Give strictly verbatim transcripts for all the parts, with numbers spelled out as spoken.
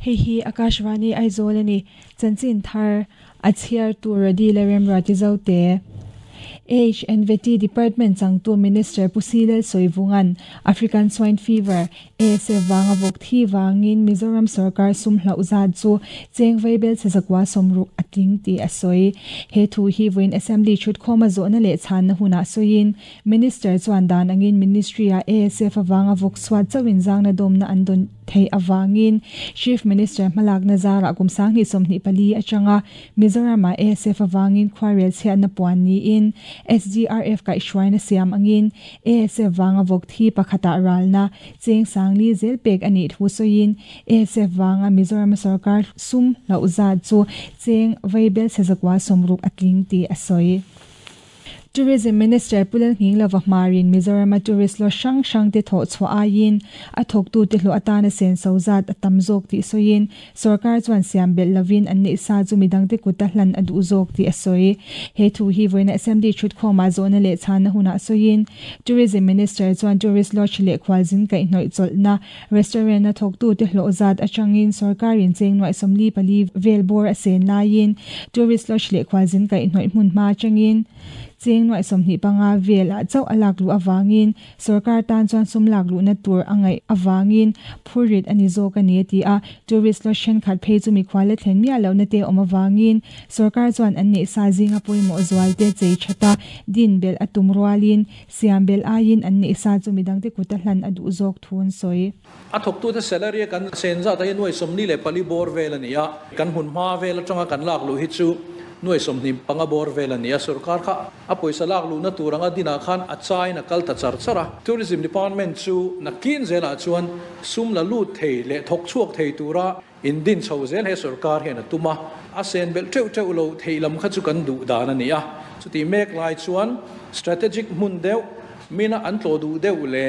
Hei hi Akashvani Aizawl ani chanchin thar a chhiar tur adi le remra ti zo te. H and V T Department changtu Minister Pusilel Soivungan African Swine Fever A S F wanga vok thi wangin Mizoram Sarkar sum hlauza chu chengvei bel chezakwa somruk ating ti asoi he thu hi voin assembly chut khoma zo na le chan na huna soin Minister chuan dan angin Ministry a A S F wanga vok swat chawin zang na dom na andon thei awangin Chief Minister Malak Nazara kumsang ni somni pali achanga Mizoram A S F awangin khwarel chhe na puan ni in S D R F ka ishwaina siam angin A S F wanga vok thi pakhata ralna cheng sangli zel pek ani thusoin A S F wanga Mizoram Sarkar sum lauza chu cheng veibel sezakwa somruk atling ti asoi. Tourism Minister Pulal Nginglova Marin Mizoram tourist lo shang shang te tho chwa ayin a thok tu te hlo atana sen sozat atamzok ti soin sarkar chuan siam bel lovin an ni sa chu midang te kuta hlan adu zok ti asoi he thu hi voina assembly chut khoma zona le chana huna soin Tourism Minister chuan tourist lodge le khwaljin kai noi cholna restaurant na thok tu te hlo zat achangin sarkarin cheng noi somli pali velbor asen lain tourist lodge le khwaljin kai noi hmun ma changin cheng noi somni panga vel a chau alak lu awangin sarkar tan chuan sum lak lu na tur angai awangin phurit ani zo ka ne ti a tourist lo shen khat phei chu mi khwale thlen mi lo na te om awangin sarkar chuan an ne sa zinga poimo zwal te chei chata din bel atum rualin siam bel ayin an ne sa chu midang te kuta hlan adu zok thun soi a thok tu te salary kan senza ta noi somni le pali bor vel ani a kan hun ma vel atanga kan lak lu hi chu nuai somni panga bor vel ani a sarkar kha a poisa lak lu na turanga dina khan a chai na kal ta char chara tourism department chu na kin zela chuan sum la lu thei le thok chuak thei tura in din chho zel he sarkar hian tuma a sen bel teu teu lo thei lam kha chu kan du dan ani a chuti mek lai chuan strategic mun deuh mina an tlo du deuh le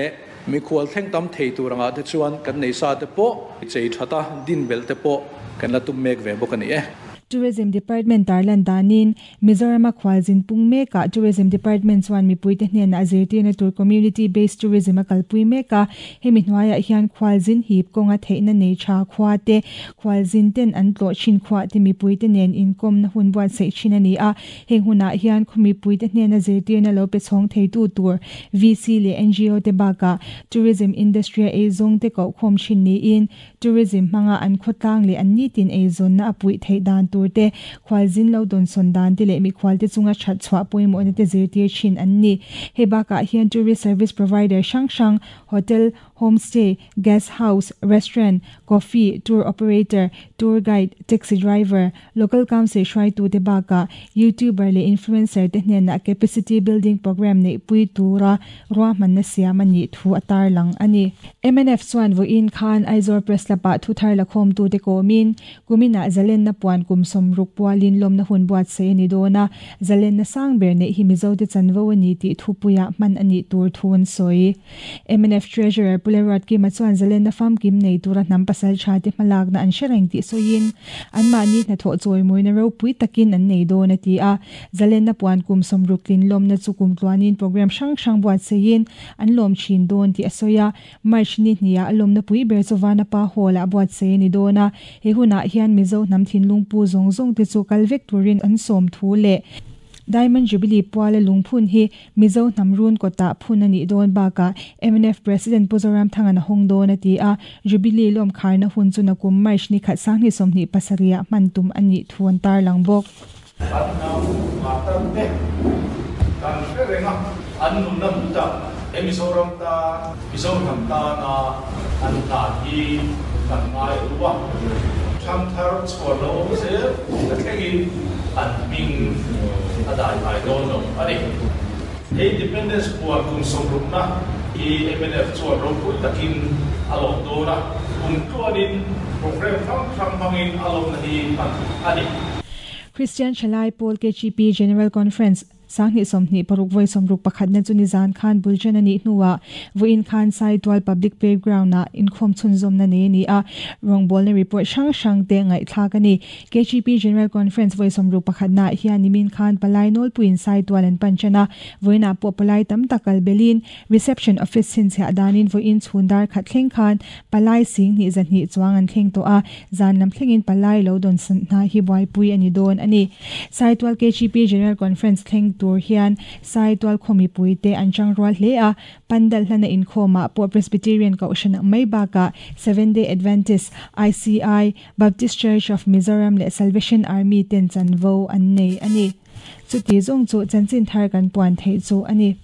mi khwal thleng tam thei turanga te chuan kan nei sa te po chei thata din bel te po kan la tum mek ve bok ani e. Tourism Department tarlan danin Mizoram khwaljin pungme ka Tourism Department chuan mipui te hnen a zirtirna tur community based tourism a kalpui meka hemi hnuaiah hian khwaljin hip kawnga theihna nei tha khua te khwaljin ten an tlo thin khua te mipui te nen inkom na hun buat sei thin ani a heng hunah hian khumipui te hnen a zirtirna lo pe chhawng thei tu tur V C le N G O te baka tourism industry a eizawng te ko khawm thin niin tourism hmanga an khawtlang le an nitin eizawn na a pui theih dan tur te khwaljin lo don son dan te le mi khwal te chunga that chwa poimo na te zirtir thin an ni he baka hian tourist service provider sang sang hotel homestay guest house restaurant coffee tour operator tour guide taxi driver local council hruai tu te baka youtuber le influencer te hnen na capacity building program nei pui tura ruahman na siam ani thu atar lang ani. M N F chuan vo in khan Aizawl Press lapa thu thar lakhom tu te komin kumina zalen na puan kum somruk pualin lom na hun buat se ni dona zalen na sang ber ne hi mizo te chanvo ani ti thu puya man ani tur thun soi. M N F treasurer Pulerat ki machuan zalen na fam kim nei tura nam pasal tha te malak na an shereng ti soin an ma ni na tho choi moi na ro pui takin an nei dona ti a zalen na puan kum somruk lin lom na chukum tluanin program sang sang buat sein an lom chin don ti asoya March ni hnia alom na pui ber chowana pa hola buat se ni dona he huna hian mizo nam thin lungpu zong zong te chu kalvek turin an som thu le Diamond Jubilee puala lungphun hi Mizo namrun kota phun ani don baka M N F President Puzoram thangana hong don ati a Jubilee lom kharna hun chu na kum March ni khat sangni somni pasaria mantum ani thuan tar langbok Mizoram ta Mizoram ta na an ta hi kan ngai ruwa tham thar chhuar lo se ta thlengin an ming adai ai don lo ani independence puan kum somruk na i M N F chuan ro pui takin alom do na kum tuanin program thang thang hangin alom na hi pan ani Christian Chalai Paul K G P General Conference Sangni somni paruk voi somruk pakhat na chuni zan khan bulchen ani hnuwa voin khan Saitual Public Playground na inkhom chhunzawm na ne ni a rongbol na report hrang hrang te ngai thlak ani. K G P General Conference voi somruk pakhat na hian nimin khan palai nol puin Saitual an panchana voina po palai tam takal belin reception office sin chha danin voin chhundar khat thleng khan palai sing ni zan ni chuang an thleng to a zan lam thlengin palai lo don san na hi boy pui ani don ani. Saitual K G P General Conference thleng tur hian Saitual khomi pui te an chang rual hle a pandal hlana in khoma po Presbyterian ka ocean mai baka Seven Day Adventist, I C I, Baptist Church of Mizoram le Salvation Army ten chanvo an nei ani. Chuti zong chu chanchin thar kan puan thei chu ani.